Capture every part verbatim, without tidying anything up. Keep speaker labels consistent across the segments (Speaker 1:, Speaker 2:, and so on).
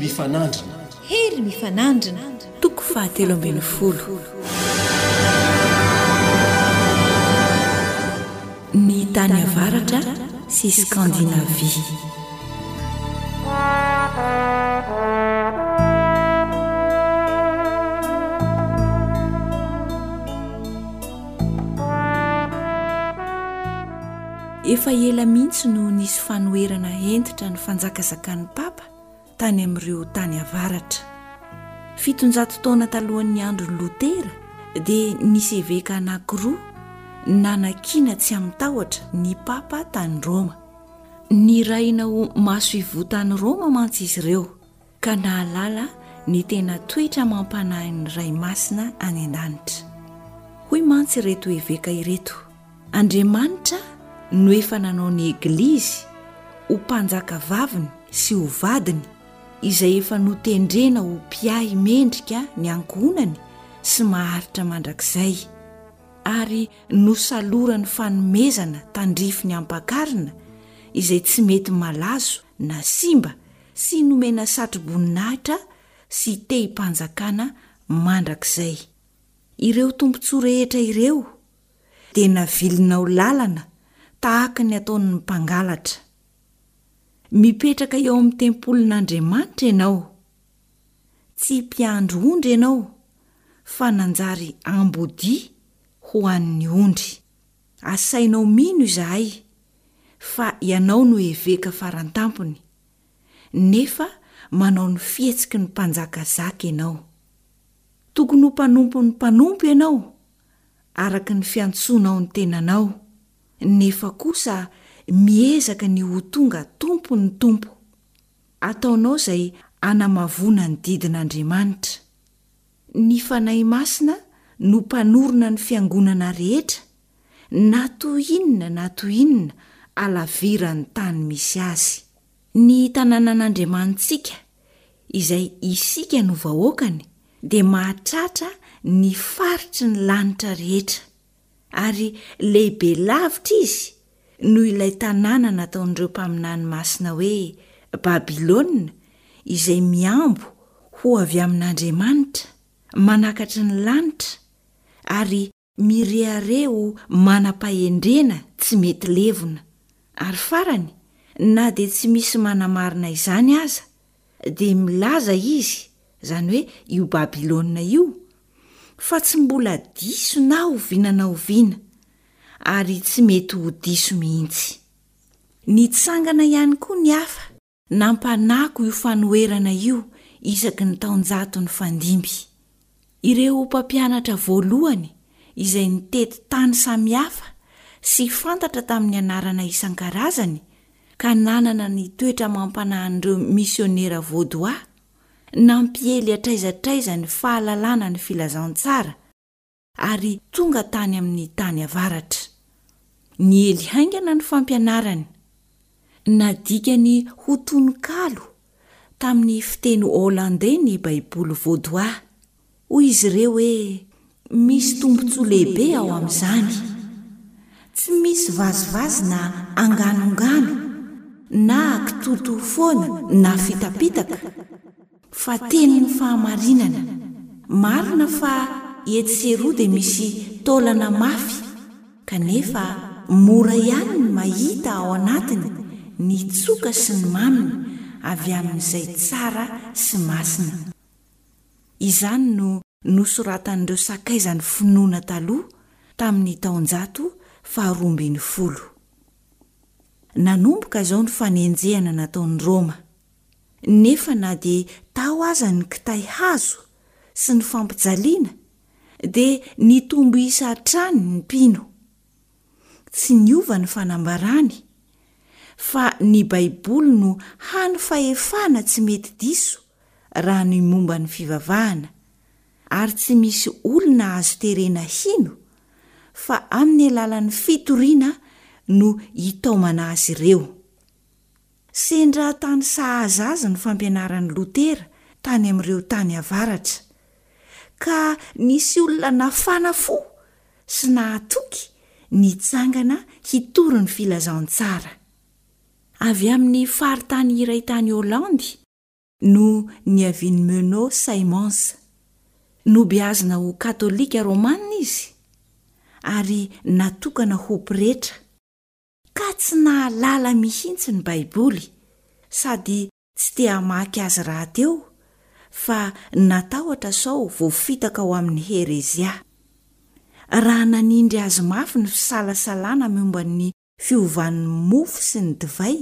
Speaker 1: mifanandrina.
Speaker 2: Hery mifanandrina.
Speaker 3: Toko fahatelo ambin'ny folo. Ny tany avaratra sy Skandinavia. Efa ela mihitsy no nisy fanoherana hentitra ny fanjakazakan'ny Papa tany amin'ireo tany avaratra. Fitonjato taona talohan'ny andron'i Lotera dia nisy eveka anankiroa nanakiana tsy amin-tahotra ny Papa tany Roma. Nirahina ho masoivoho tany Roma mantsy izy ireo ka nahalala ny tena toetra amam-panahin'ny Ray Masina any an-danitra. Hoy mantsy ireto eveka ireto, Andriamanitra no efa nanao ny Eglizy ho mpanjakavaviny sy ho vadiny, izay efa notendrena ho mpiahy mendrika ny ankohonany sy maharitra mandrakizay, ary nosalorany fanomezana tandrify ny ampakarina izay tsy mety malazo na simba sy nomena satroboninahitra sy tehim-panjakana mandrakizay. Ireo tombontsoa rehetra ireo dia navilinao lalana tahaka ny ataon'ny mpangalatra. Mipetraka eo amin'ny tempolin'Andriamanitra ianao. Tsy mpiandry ondry ianao fa nanjary ambodia ho an'ny ondry. Asainao mino izahay fa ianao no eveka farantampony, nefa manao ny fihetsiky ny mpanjakazaka ianao. Tokony ho mpanompon'ny mpanompo ianao, araka ny fiantsoanao ny tenanao, nefa kosa miezaka ny ho tonga tompon'ny tompo. Ataonao izay hanamavoana ny didin'Andriamanitra. Ny Fanahy Masina no mpanorina ny fiangonana rehetra, na toy inona na toy inona halaviran'ny tany misy azy. Ny tanànan'Andriamanitsika, izay isika no vahoakany, dia mahatratra ny faritry ny lanitra rehetra, ary lehibe lavitra izy noho ilay tanàna nataon'ireo mpaminany masina hoe Babylona, izay mihambo ho avy amin'Andriamanitra, manakatry ny lanitra, ary mirehareha ho manam-pahendrena tsy mety levona. Ary farany, na dia tsy misy manamarina izany aza, dia milaza izy, izany hoe io Babylona io, fa tsy mbola diso na oviana na oviana, ary tsy mety ho diso mihitsy. Nitsangana ihany koa ny hafa Nampanako io fanoherana io isaky ny taonjato nifandimby. Ireo mpampianatra voalohany izay nitety tany samihafa sy fantatra tamin'ny anarana isan-karazany ka nanana ny toetra amam-panahin'ireo misionera vaudois, nampiely hatraiza hatraiza ny fahalalana ny filazantsara, ary tonga tany amin'ny tany avaratra. Niely haingana ny fampianarany. Nadikany ho tononkalo tamin'ny fiteny holandey ny Baiboly vaudois. Hoy izy ireo hoe, Misy tombontsoa lehibe ao amin'izany. Tsy misy vazivazy na anganongano, na kitoatoa foana na fitapitaka. Fa tenin'ny fahamarinana. Marina fa etsy sy eroa dia misy taolana mafy kanefa mora ihany ny mahita ao anatiny ny tsoka sy ny maminy avy amin'izay tsara sy masina. Izany no nosoratan'ireo sakaizan'ny finoana taloha tamin'ny taonjato faharoa ambin'ny folo. Nanomboka izao ny fanenjehana nataon'i Roma. Nefa na dia tao aza ny kitay hazo sy ny fampijaliana dia nitombo isa hatrany ny mpino. Tsy niova ny fanambarany fa ny Baiboly no hany fahefana tsy mety diso raha ny momba ny fivavahana ary tsy misy olona azo terena hino fa amin'ny alalan'ny fitoriana no hitaomana azy ireo. Sendra tany sahaza azy ny fampianaran'i Lotera tany amin'ireo tany avaratra, ka nisy olona nafana fo sy nahatoky nitsangana hitory ny filazantsara. Avy amin'ny faritany iray tany Holandy no niavian'i Menno Simons. Nobeazina ho Katolika Romana izy ary natokana ho pretra, ka tsy nahalala mihitsy ny Baiboly sady tsy te hamaky azy rahateo fa natahotra sao voafitaka ho amin'ny herezia. Raha nanindry azy mafy ny fisalasalana momba ny fiovan'ny mofo sy ny divay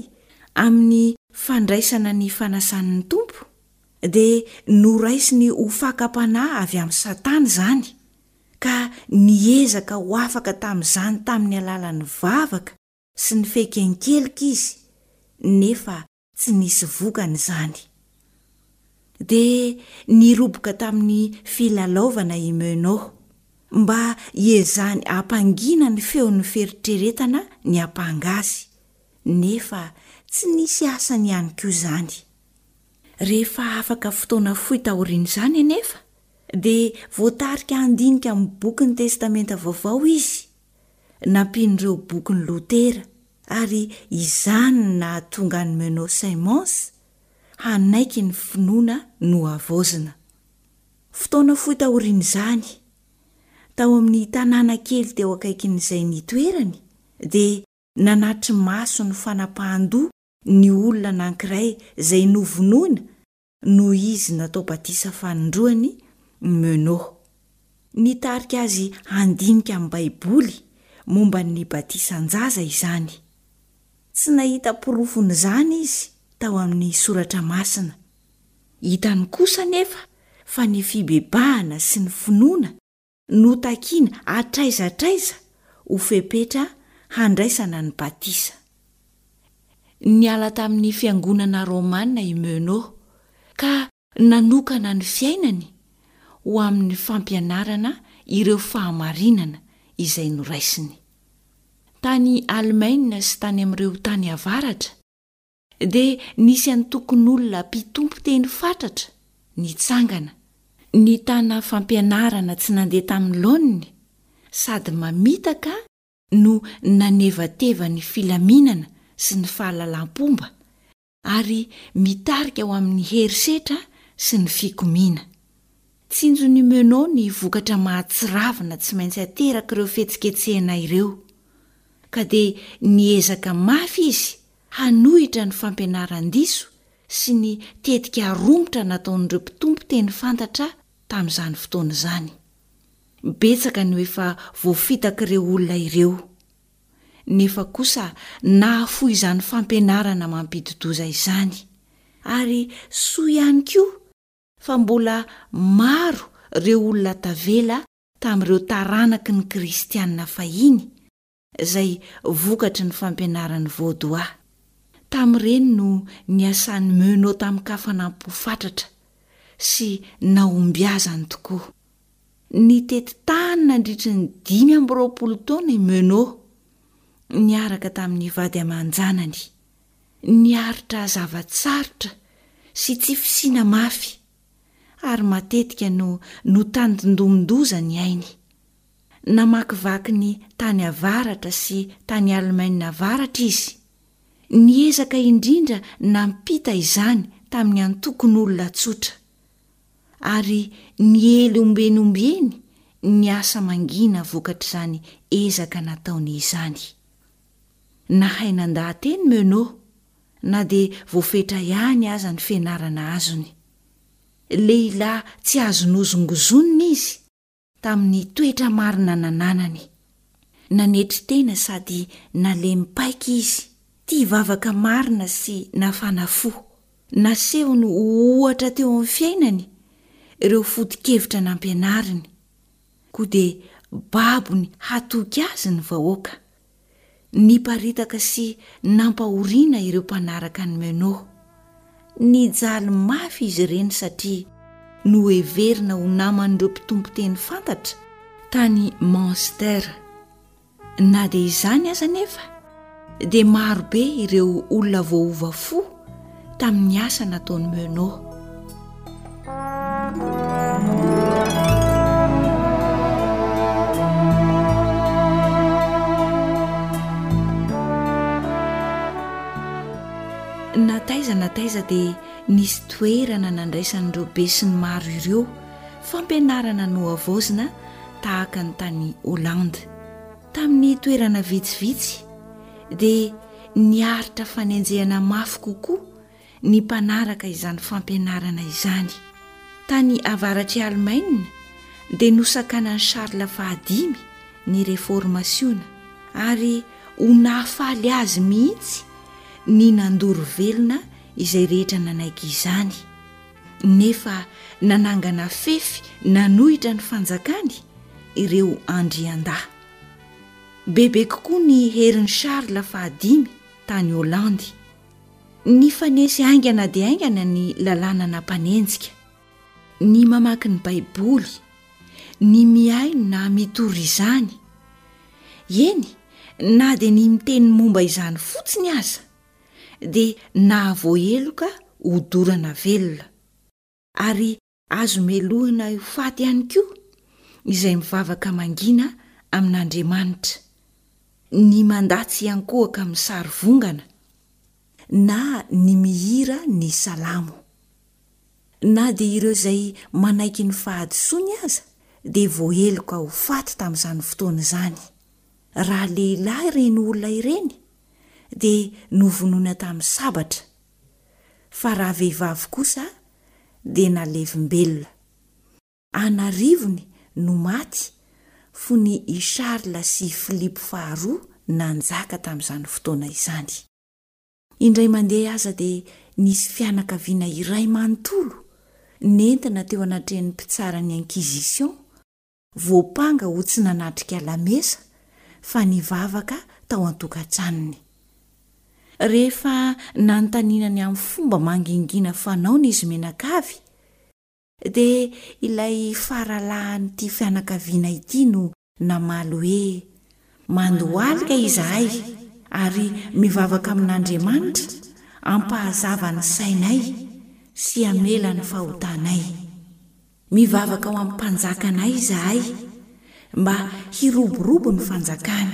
Speaker 3: amin'ny fandraisana ny fanasan'ny Tompo, dia noraisiny ho fakam-panahy avy amin'i Satana izany, ka niezaka ho afaka tamin'izany tamin'ny alalan'ny vavaka sy ny fiaiken-keloka izy, nefa tsy nisy vokany izany. Dia niroboka tamin'ny filalaovana i Menno, mba hiezahany hampangina ny feon'ny fieritreretana niampanga azy, nefa tsy nisy asany ihany koa izany. Rehefa afaka fotoana fohy taorian'izany anefa, dia voatarika handinika amin'ny bokin'ny Testamenta Vaovao izy, nampian'ireo bokin'i Lotera, ary izany no nahatonga an'i Menno Simons hanaiky ny finoana nohavaozina. Fotoana fohy taorian'izany, tao amin'ny tanàna kely teo akaikin'izay nitoerany, dia nanatri-maso ny fanapahan-doha ny olona anankiray izay novonoina noho izy natao batisa fanindroany, Menno. Nitarika azy handinika ny Baiboly momba ny batisan-jaza izany. Tsy nahita porofon'izany izy tao amin'ny Soratra Masina. Hitany kosa anefa fa ny fibebahana sy ny finoana no takiana hatraiza hatraiza ho fepetra handraisana ny batisa. Niala tamin'ny fiangonana romana i Menno ka nanokana ny fiainany ho amin'ny fampianarana ireo fahamarinana izay noraisiny. Tany Alemaina sy tany amin'ireo tany avaratra dia nisy antokon'olona mpitompo teny fatratra nitsangana, nitana fampianarana tsy nandeha tamin'ny laoniny sady mamitaka no nanevateva ny filaminana sy ny fahalalam-pomba ary mitarika ho amin'ny herisetra sy ny fikomiana. Tsinjon'i Menno ny vokatra mahatsiravina tsy maintsy aterak'ireo fihetsiketsehana ireo, ka dia niezaka mafy izy hanohitra ny fampianaran-diso sy ny tetika romotra nataon'ireo mpitompo teny fantatra tamin'izany fotoana izany. Betsaka no efa voafitak'ireo olona ireo, nefa kosa nahafoy izany fampianarana mampidi-doza izany. Ary soa ihany koa fa mbola maro ireo olona tavela tamin'ireo taranaky ny kristiana fahiny izay vokatry ny fampianaran'i Vaudois. Tamin'ireny no niasan'i Menno tamin-kafanam-po fatratra sy nahombiazany tokoa. Nitety tany nandritry ny dimy amby roapolo taona i Menno, niaraka tamin'ny vady aman-janany. Niaritra zava-tsarotra sy tsy fisiana mafy, ary matetika no notandindomin-doza ny ainy. Namakivaky ny tany avaratra sy tany Alemaina avaratra izy. Niezaka indrindra nampita izany tamin'ny antokon'olona tsotra. Ary niely ombieny ombieny ny asa mangina vokatr'izany ezaka nataony izany. Nahay nandaha-teny Menno, na dia voafetra ihany aza ny fianarana azony. Lehilahy tsy azo nozongozonina izy tamin'ny toetra marina nananany. Nanetry tena sady nalemy paika izy, tia vavaka marina sy nafana fo. Nasehony ho ohatra teo amin'ny fiainany ireo foto-kevitra nampianariny, koa dia babony hatoky azy ny vahoaka. Niparitaka sy nampahoriana ireo mpanaraka an'i Menno. Nijaly mafy izy ireny satria noheverina ho naman'ireo mpitompo teny fantatra tany Munster. Na dia izany aza anefa dia maro be ireo olona voaova fo tamin'ny asa nataon'i Menno. taiza na taiza dia nisy toerana nandraisan'ireo besinimaro ireo fampianarana nohavaozina tahaka ny tany Hollande. Tamin'ny toerana vitsivitsy dia niaritra fanenjehana mafy kokoa ny mpanaraka izany fampianarana izany. Tany avaratr'i Alemaina dia nosakanan'i Charles fahadimy ny Reformasiona ary ho nahafaly azy mihitsy ny nandoro velona izay rehetra nanaiky izany, nefa nanangana fefy nanohitra ny fanjakany ireo andriandahy. Bebe kokoa ny herin'i Charles fahadimy tany Holandy. Nifanesy haingana dia haingana ny lalàna nampanenjika. Ny mamaky ny Baiboly, ny mihaino na mitory izany, eny, na dia ny miteny momba izany fotsiny aza, dia nahavoaheloka hodorana velona. Ary azo melohina ho faty ihany koa izay mivavaka mangina amin'Andriamanitra, ny mandà tsy hiankohoka amin'ny sary vongana, na ny mihira ny salamo. Na dia ireo izay manaiky ny fahadisoany aza dia voaheloka ho faty tamin'izany fotoana izany. Raha lehilahy ireny olona ireny dia novonoina tamin'ny sabatra, fa raha vehivavy kosa dia nalevim-belona. An'arivony no maty fony i Charles sy Philippe faharoa nanjaka tamin'izany fotoana izany. Indray mandeha aza dia nisy fianakaviana iray manontolo nentina teo anatrehan'ny mpitsara ny Inquisition, voampanga ho tsy nanatrika lamesa fa nivavaka tao an-tokantranony. Rehefa nanontaniana ny amin'ny fomba mangingina fanaony izy mianakavy, dia ilay faralahin'ity fianakaviana ity no namaly hoe, Mandohalika izahay ary mivavaka amin'Andriamanitra hampahazava ny sainay sy hamela ny fahotanay. Mivavaka ho amin'ny mpanjakanay izahay mba hiroborobo ny fanjakany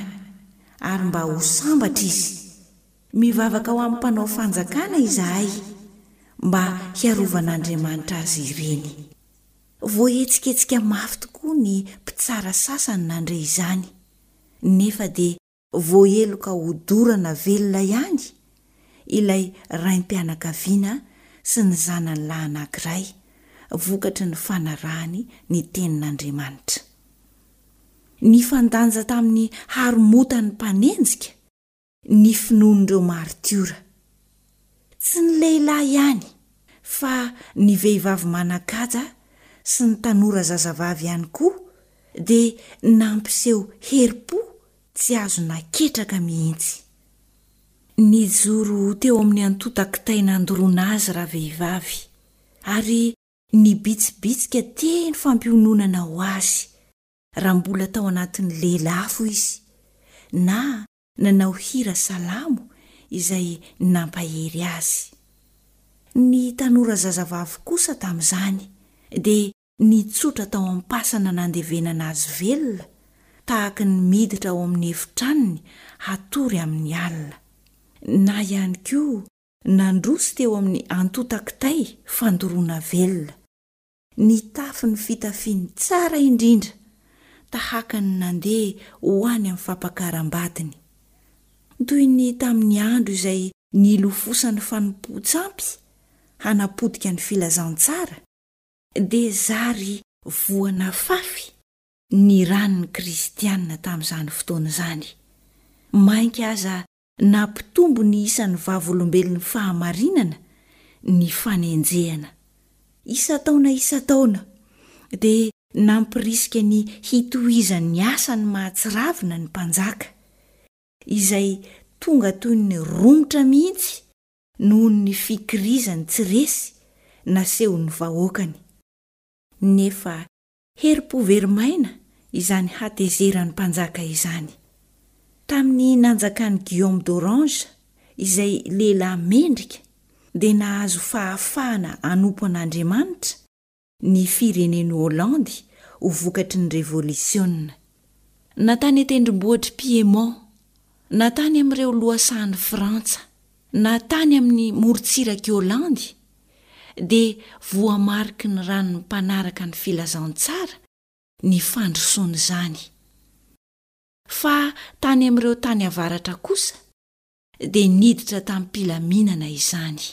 Speaker 3: ary mba ho sambatra izy. Mivavaka ho amin'ny mpanao fanjakana izahay mba hiarovan'Andriamanitra azy ireny. Voahetsiketsika mafy tokoa ny mpitsara sasany nandre izany, nefa dia voaheloka hodorana velona ihany ilay raim-pianakaviana sy ny zanany lahy anankiray, vokatry ny fanarahany ny Tenin'Andriamanitra. Nifandanja tamin'ny haromotan'ny mpanenjika ny finoan'ireo maritiora. Tsy ny lehilahy ihany fa ny vehivavy manan-kaja sy ny tanora zazavavy ihany koa dia nampiseho herim-po tsy azo naketraka mihitsy. Nijoro teo amin'ny antontan-kitay nandoroana azy ravehivavy ary nibitsibitsika teny fampiononana ho azy raha mbola tao anatin'ny lelafo izy na nanao hira salamo izay nampahery azy. Ny tanora zazavavy kosa tamin'izany dia nitsotra tao am-pasana nandevenana azy velona tahaka ny miditra ao amin'ny efitranony hatory amin'ny alina. Na ihany koa nandroso teo amin'ny antontan-kitay fandoroana velona. Nitafy ny fitafiany tsara indrindra tahaka ny nandeha ho any amin'ny fampakaram-badiny. Toy ny tamin'ny andro izay nilofosan'ny fanompoan-tsampy hanapotika ny filazantsara, dia zary voa nafafy ny ran'ny kristiana tamin'izany fotoana izany. Mainka aza Nampitombo ny isan'ny Vavolombelon'ny fahamarinana ny fanenjehana. Isan-taona isan-taona, dia nampirisika ny hitohizan'ny asany mahatsiravina ny mpanjaka, izay tonga toy ny romotra mihitsy noho ny fikirizany tsy resy nasehon'ny vahoakany. Nefa Herim-po very maina izany hatezeran'ny mpanjaka izany. Tamin'ny nanjakan'i Guillaume d'Orange, izay lehilahy mendrika, dia nahazo fahafahana hanompo an'Andriamanitra ny firenen'i Holandy ho vokatry ny Revolisiona. Na tany an-tendrombohitr'i Piémont, na tany amin'ireo lohasahan'i Frantsa, Na tany amin'ny morontsirak'i Holandy dia voamariky ny ran'ny mpanaraka ny filazantsara ny fandrosoan'izany. Fa tany amin'ireo tany avaratra kosa dia niditra tamim-pilaminana izany.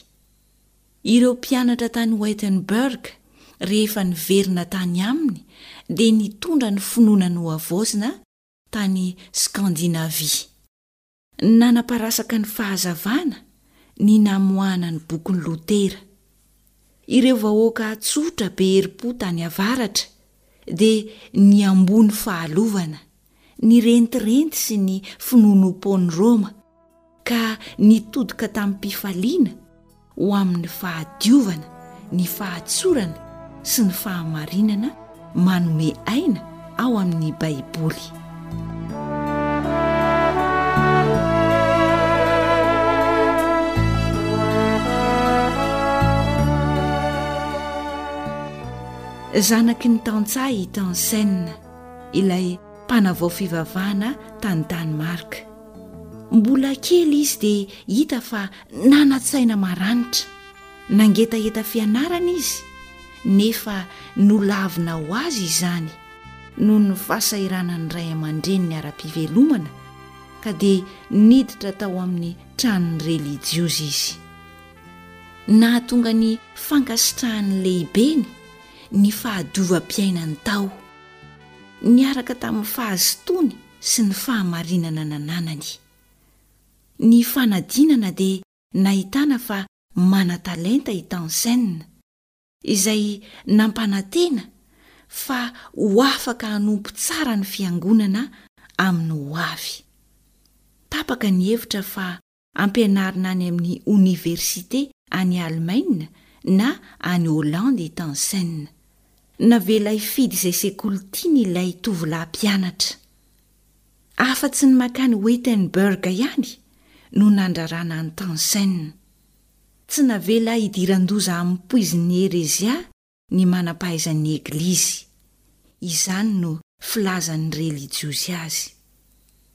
Speaker 3: Ireo mpianatra tany Wittenberg rehefa niverina tany aminy dia nitondra ny finoana nohavaozina tany Skandinavia. Nanaparasaka ny fahazavana ny namoahana ny bokin'i Lotera. Ireo vahoaka tsotra be herim-po tany avaratra dia niamboho ny fahalovana, ny rentirenty sy ny finoanoam-poan'i Roma, ka nitodika tamim-pifaliana ho amin'ny fahadiovana, ny fahatsorana sy ny fahamarinana manome aina ao amin'ny Baiboly. Zanaky ny tantsaha i Tansen, ilay mpanavao fivavahana tany Danemark. Mbola kely izy dia hita fa nanan-tsaina maranitra. Nangetaheta fianarana izy, nefa nolavina ho azy izany noho ny fahasahiranan'ny ray aman-dreniny ara-pivelomana, ka dia niditra tao amin'ny tranon'ny relijiozy izy. Nahatonga ny fankasitrahan'ny lehibeny ny fahadiovam-piainany tao, niaraka tamin'ny fahazotoany sy ny fahamarinana nananany. Ny fanadinana dia nahitana fa manan-talenta i Tansen, izay nampanantena fa ho afaka hanompo tsara ny fiangonana amin'ny ho avy. Tapaka ny hevitra fa ampianarina any amin'ny oniversite any Alemaina na any Holandy i Tansen. Navela hifidy izay sekoly tiany ilay tovolahy mpianatra. Afa-tsy ny mankany Wittenberg ihany no nandrarana an'i Tansen. Tsy navela hidiran-doza amin'ny poizin'ny herezia ny manam-pahaizan'ny Eglizy. Izany no filazan'ny relijiozy azy.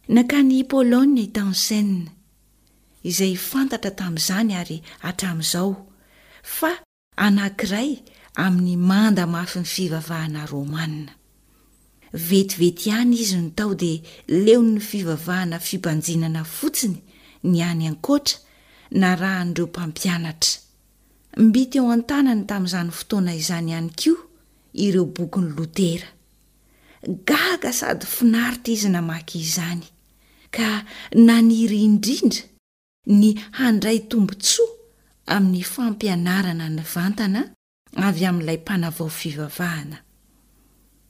Speaker 3: Nankany Pologne i Tansen, izay fantatra tamin'izany ary hatramin'izao fa anankiray amin'ny manda mafin'ny fivavahana romana. Vetivety ihany izy no tao dia leon'ny fivavahana fibanjinana fotsiny ny any ankoatra narahan'ireo mpampianatra. Mby teo an-tanany tamin'izany fotoana izany ihany koa ireo bokin'i Lotera. Gaga sady finaritra izy namaky izany, ka naniry indrindra ny handray tombontsoa amin'ny fampianarana nivantana avy amin'ilay mpanavao fivavahana.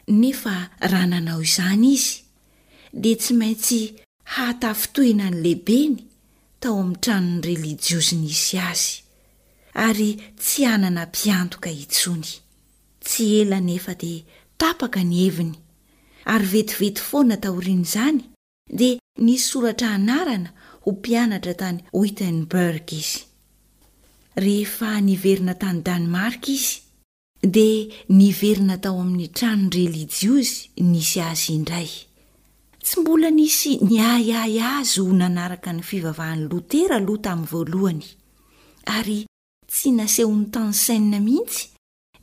Speaker 3: Nefa raha nanao izany izy, dia tsy maintsy hahatafintohina ny lehibeny tao amin'ny tranon'ny relijiozy nisy azy, ary tsy hanana mpiantoka intsony. Tsy ela anefa dia tapaka ny heviny, ary vetivety foana taorian'izany dia nisoratra anarana ho mpianatra tany Wittenberg izy. Rehefa niverina tany Danemark izy, dia niverina tao amin'ny tranon-drelijiozy nisy azy indray. Tsy mbola nisy niahiahy azy ho nanaraka ny fivavahan'i Lotera aloha tamin'ny voalohany, ary tsy nasehon'i Tansen mihitsy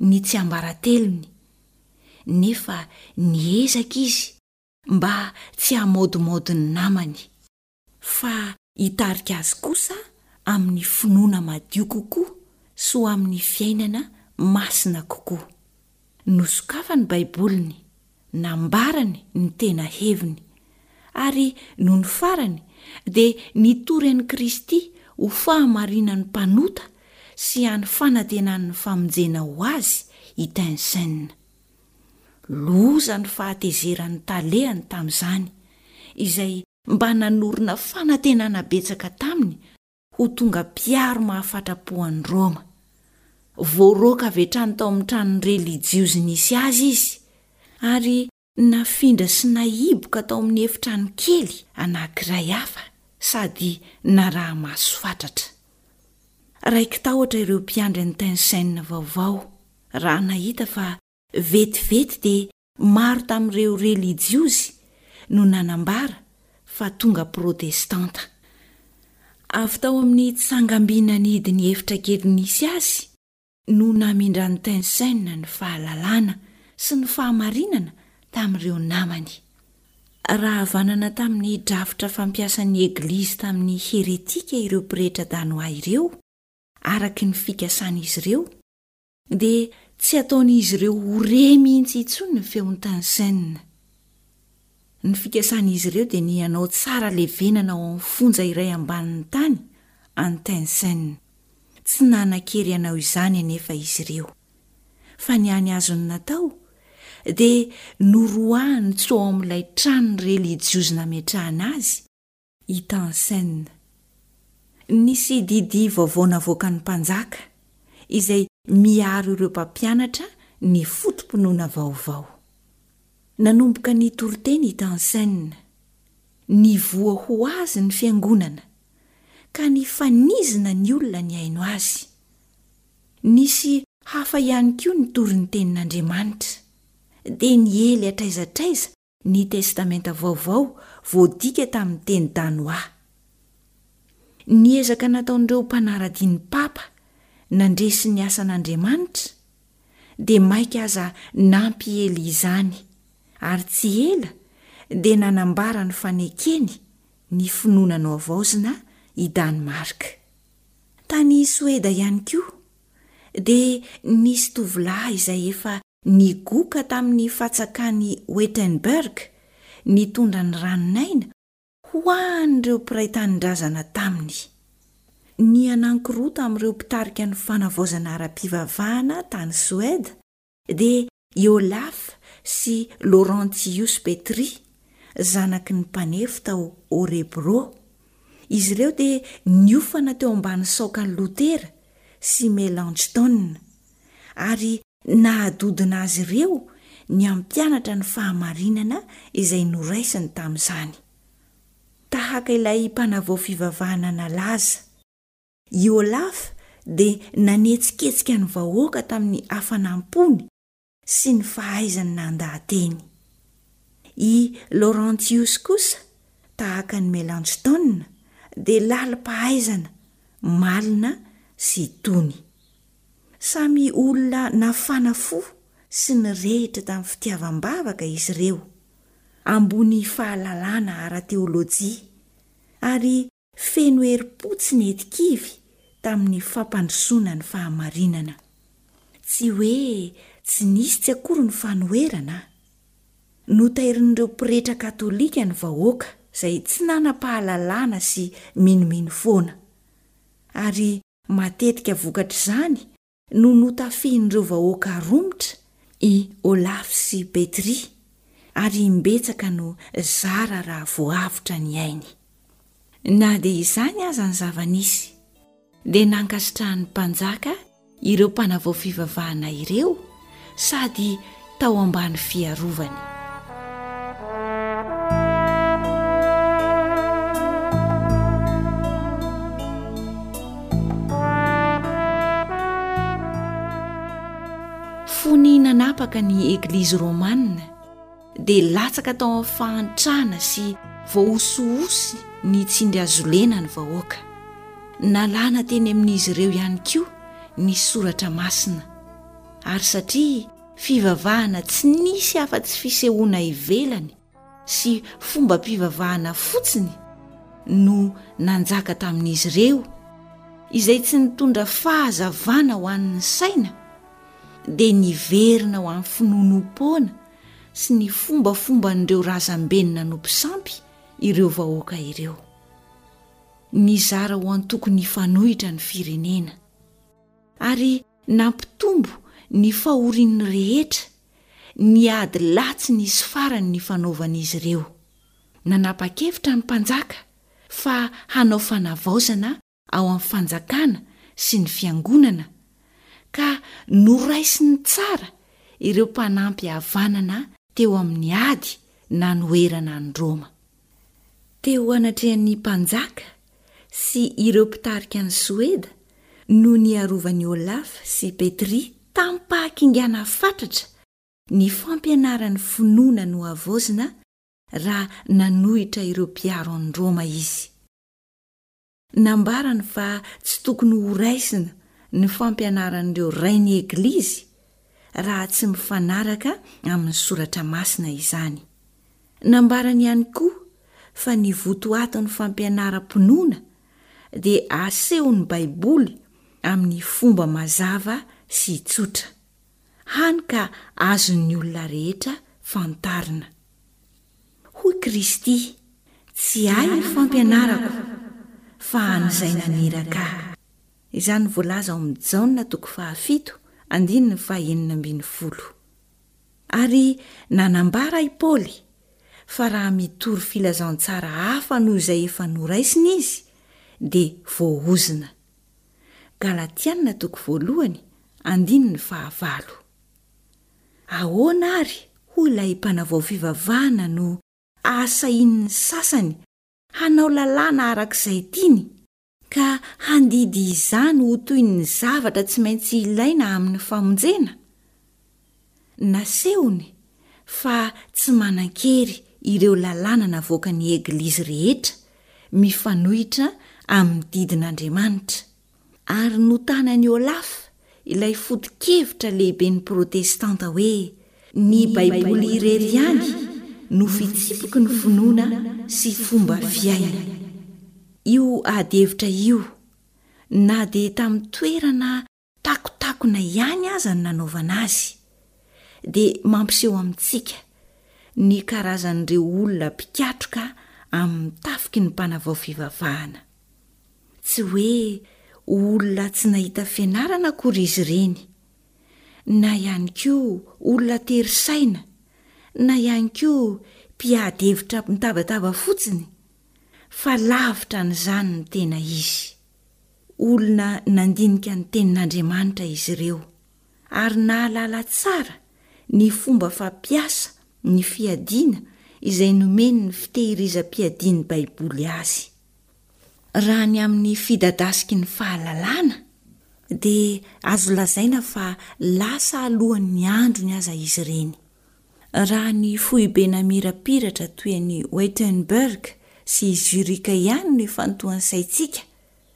Speaker 3: ny tsiambaratelony, nefa niezaka izy mba tsy hamaodimaody ny namany, fa hitarika azy kosa amin'ny finoana madio kokoa sy ho amin'ny fiainana masina kokoa. Nosokafany ny Baiboliny, nambarany ny tena heviny, ary nony farany dia nitory an'i Kristy ho fahamarinan'ny mpanota sy hany fanantenan'ny famonjena ho azy i Tensen. Loza ny fahatezeran'ny talehany tamin'izany, izay mba nanorina fanantenana betsaka taminy ho tonga mpiaro mahafatra-po an'i Roma. Voaroaka avy hatrany tao amin'ny tranon'ny relijiozy nisy azy izy, ary nafindra sy nahiboka tao amin'ny efitrano kely anankiray hafa sady naraha-maso fatratra. Raiki-tahotra ireo mpiandry an'i Tensen vaovao raha nahita fa vetivety dia maro tamin'ireo relijiozy no nanambara fa tonga Protestanta. Avy tao amin'ny tsangamby nanidy ny efitra kely nisy azy no namindran'i Tensen ny fahalalana sy ny fahamarinana tamin'ireo namany. Raha havanana tamin'ny drafitra fampiasan'ny Eglizy tamin'ny heretika ireo pretra danoà ireo, araka ny fikasan'izy ireo, dia tsy hataon'izy ireo ho re mihitsy intsony ny feon'i Tansen. Ny fikasan'izy ireo dia ny hanao tsara levenana ao amin'ny fonja iray ambanin'ny tany an'i Tansen. Tsy nanan-kery hanao izany anefa izy ireo. Fa ny hany azony natao dia noroahany tsy ho ao amin'ilay trano relijiozy nametrahana azy i Tansen. Nisy didy vaovao navoakan'ny mpanjaka, izay miaro ireo mpampianatra ny foto-pinoana vaovao. Nanomboka nitory teny i Tansen. Nivoha ho azy ny fiangonana, ka nifanizina ny olona nihaino azy. Nisy hafa ihany koa nitory ny tenin'Andriamanitra. Dia niely hatraiza hatraiza ny Testamenta Vaovao voadika tamin'ny teny danoà. Ny ezaka nataon'ireo mpanara-dia ny papa nandresy ny asan'Andriamanitra dia mainka aza nampiely izany, ary tsy ela dia nanambara ny fanekeny ny finoana nohavaozina i Danemark. Tany Soeda ihany koa dia nisy tovolahy izay efa Nigoka tamin'ny fatsakan'i Wittenberg nitondra ny ranon'aina ho an'ireo mpiray tanindrazana taminy. Ny anankiroa tamin'ireo mpitarika ny fanavaozana ara-pivavahana tany Soeda dia i Olaf sy Laurentius Petri, zanaky ny mpanefy tao Örebro. Izy ireo dia niofana teo ambany saokan'i Lotera sy Melanchthon, ary nahadodona azy ireo ny hampianatra ny fahamarinana izay noraisiny tamin'izany. Tahaka ilay mpanavao fivavahana nalaza, i Olaf dia nanetsiketsika ny vahoaka tamin'ny hafanam-pony sy ny fahaizany nandaha-teny. I Laurentius kosa, tahaka an'i Melanchthon, dia lalim-pahaizana, malina sy tony. Samy olona nafana fo sy nirehitra tamin'ny fitiavam-bavaka izy ireo, ambony fahalalana ara-teolojia, ary feno herim-po tsy nety kivy tamin'ny fampandrosoana ny fahamarinana. Tsy hoe tsy nisy tsy akory ny fanoherana. Notairin'ireo pretra katolika ny vahoaka izay tsy nanam-pahalalana sy minomino foana. Ary Matetika vokatr'izany no notafihin'ireo vahoaka romotra i Olaf sy Petri, ary imbetsaka no zara raha voavotra ny ainy. Na dia izany aza ny zava-nisy, dia nankasitrahan'ny mpanjaka ireo mpanavao fivavahana ireo sady tao ambany fiarovany. Fony nanapaka ny Eglizy Romana dia latsaka tao amin'ny fahantrana sy voahosihosy ny tsindrihazolena ny vahoaka. Nalana teny amin'izy ireo ihany koa ny soratra masina. Ary satria fivavahana tsy nisy afa-tsy fisehoana ivelany sy fombam-pivavahana fotsiny no nanjaka tamin'izy ireo, izay tsy nitondra fahazavana ho an'ny saina, dia niverina ho amin'ny finoanoam-poana sy ny fombafomban'ireo razambeny nanompo sampy ireo vahoaka ireo. Nizara ho antoko nifanohitra ny firenena. Ary nampitombo ny fahorian'ny rehetra ny ady lahy tsy nisy farany nifanaovan'izy ireo. Nanapa-kevitra ny mpanjaka fa hanao fanavaozana ao amin'ny fanjakana sy ny fiangonana, ka noraisiny tsara ireo mpanampy havanana teo amin'ny ady nanoherana an'i Roma. Teo anatrehan'ny mpanjaka sy ireo mpitarika an'i Soeda no niarovan'i Olaf sy Petri tamim-pahakingana fatratra ny fampianaran'ny finoana nohavaozina raha nanohitra ireo mpiaro an'i Roma izy. Nambarany fa tsy tokony horaisina ny fampianaran'ireo Rain'ny Eglizy raha tsy mifanaraka amin'ny Soratra Masina izany. Nambarany ihany koa fa ny votoatin'ny fampianaram-pinoana dia asehon'ny Baiboly amin'ny fomba mazava sy tsotra, hany ka azon'ny olona rehetra fantarina. Hoy Kristy, Tsy ahy ny fampianarako, fa an'izay naniraka ahy. Izany voalaza ao amin'ny Jaona toko fahafito andininy fahenina ambin'ny folo. Ary nanambara i Paoly fa raha mitory filazantsara hafa noho izay efa noraisiny izy dia voaozona. Galatiana toko voalohany andininy fahavalo. Ahoana àry hoy ilay mpanavao fivavahana no ahasahian'ny sasany hanao lalàna araka izay tiany, ka handidy izany ho toy ny zavatra tsy maintsy ilaina amin'ny famonjena? Nasehony fa tsy manan-kery ireo lalàna navoakan'ny eglizy rehetra mifanohitra amin'ny didin'Andriamanitra. Ary notanan'i Olaf ilay foto-kevitra lehiben'ny Protestanta hoe ny Baiboly irery ihany no fitsipiky ny finoana sy fomba fiaina. Io adihevitra io, na dia tamin'ny toerana takotakona ihany aza no nanaovana azy, dia mampiseho amintsika ny karazan'ireo olona mpikatroka amin'ny tafiky ny mpanavao fivavahana. Tsy hoe olona tsy nahita fianarana akory izy ireny, na ihany koa olona tery saina, na ihany koa mpiady hevitra mitabataba fotsiny, fa lavitra an'izany ny tena izy. Olona nandinika ny Tenin'Andriamanitra izy ireo, ary nahalala tsara ny fomba fampiasa ny fiadiana izay nomen'ny fitehirizam-piadian'ny Baiboly azy. Raha ny amin'ny fidadasiky ny fahalalana, dia azo lazaina fa lasa alohan'ny androny aza izy ireny. Raha ny foibe namirapiratra toy an'i Wittenberg sy Zurich ihany no ifantohan'ny saintsika,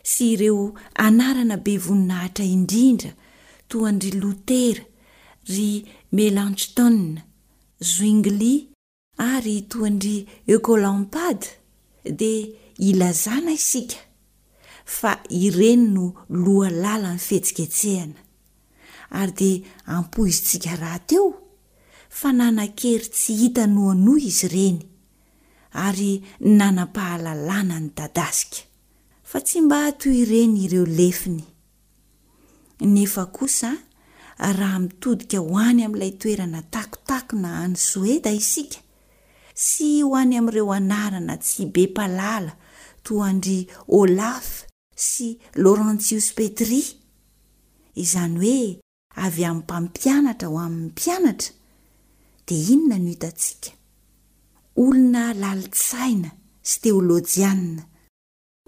Speaker 3: sy ireo anarana be voninahitra indrindra toa an-dry Lotera, ry Melanchthon, Zwingli, Ary toa an-dry Oecolampade dia ilazana isika fa ireny no lohalalan'ny fihetsiketsehana. Ary dia ampoizintsika rahateo fa nanan-kery tsy hita noanoa izy ireny ary nanam-pahalalana nidadasika. Fa tsy mba toy ireny ireo lefiny. Nefa kosa raha mitodika ho any amin'ilay toerana takotakona any Soeda isika, sy ho any amin'ireo anarana tsy be mpahalala toa an-dry Olaf sy Laurentius Petri, izany hoe avy amin'ny mpampianatra ho amin'ny mpianatra, dia inona no hitantsika? Olona lalin-tsaina sy teolojianina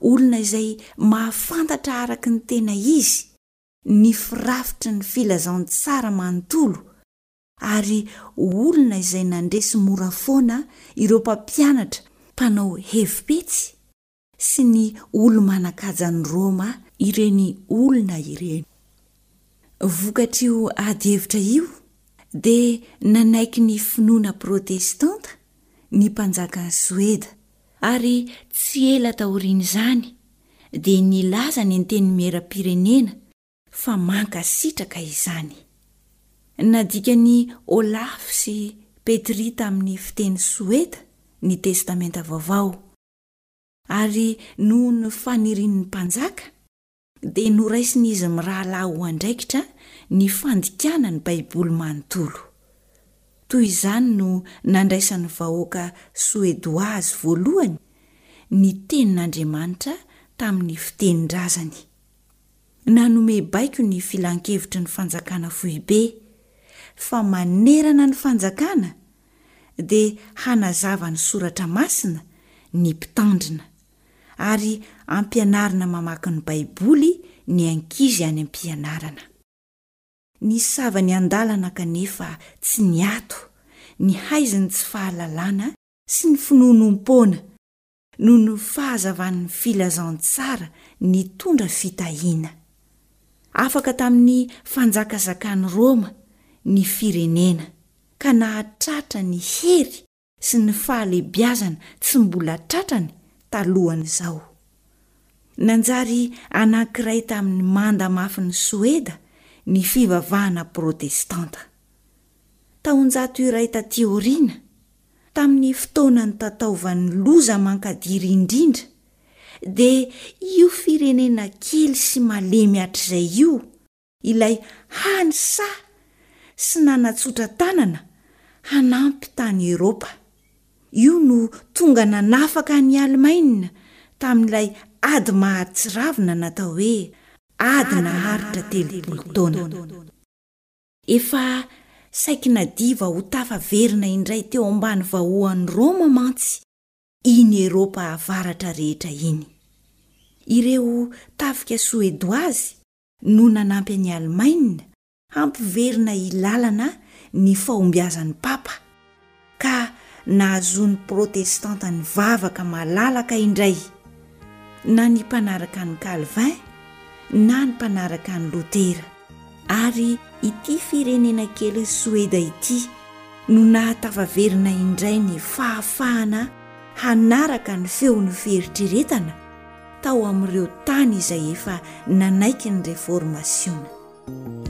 Speaker 3: Olona izay mahafantatra araka ny tena izy ny firafitry ny filazantsara manontolo ary olona izay nandresy mora foana ireo mpampianatra mpanao hevi-petsy sy ny olo-manan-kajan'i Roma ireny olona ireny. Vokatr'io ady hevitra io dia nanaiky ny finoana protestanta ny mpanjakan'i Soeda Ary tsy ela taorian'izany dia nilaza ny Antenimieram-pirenena fa mankasitraka izany. Nadikan'i Olaf sy Petri tamin'ny fiteny soeda ny Testamenta Vaovao, ary noho ny fanirian'ny mpanjaka, dia noraisin'izy mirahalahy ho andraikitra ny fandikana ny Baiboly manontolo. Toy izany no nandraisan'ny vahoaka soedoà azy voalohany ny Tenin'Andriamanitra tamin'ny fitenin-drazany. Nanome baiko ny Filan-kevitry ny Fanjakana Foibe fa manerana ny fanjakana dia hanazava ny Soratra Masina ny mpitandrina. ary ampianarina mamaky ny Baiboly ny ankizy any am-pianarana. Nisava ny andalana kanefa tsy niato, ny haizin'ny tsy fahalalana sy ny finoanoam-poana, noho ny fahazavan'ny filazantsara nitondra fitahiana. Afaka tamin'ny fanjakazakan'i Roma ny firenena, ka nahatratra ny hery sy ny fahalebiazana tsy mbola tratrany talohan'izao. Nanjary anankiray tamin'ny manda mafin'i Soeda ny fivavahana protestanta. Taonjato iray tatỳ aoriana, tamin'ny fotoana nitataovan'ny loza mankadiry indrindra, dia io firenena kely sy malemy hatrizay io ilay hany sahy sy nanatsotra tanana hanampy tany Eropa. Io no tonga nanafaka an'i Alemaina tamin'ilay ady mahatsiravina natao hoe Ady naharitra telopolo taona. Efa saiky nadiva ho tafaverina indray teo ambany vahoan'i Roma mantsy iny Eropa Avaratra rehetra iny. Ireo tafika soedoazy no nanampy an'i Alemaina hampiverina ilalana ny fahombiazan'ny Papa, ka nahazoan'ny Protestanta nivavaka malalaka indray, na ny mpanaraka an'i Calvin na ny mpanaraka an'i Lotera. Ary ity firenena kely Soeda ity no nahatafaverina indray ny fahafahana hanaraka ny feon'ny fieritreretana tao amin'ireo tany izay efa nanaiky ny Reformasiona.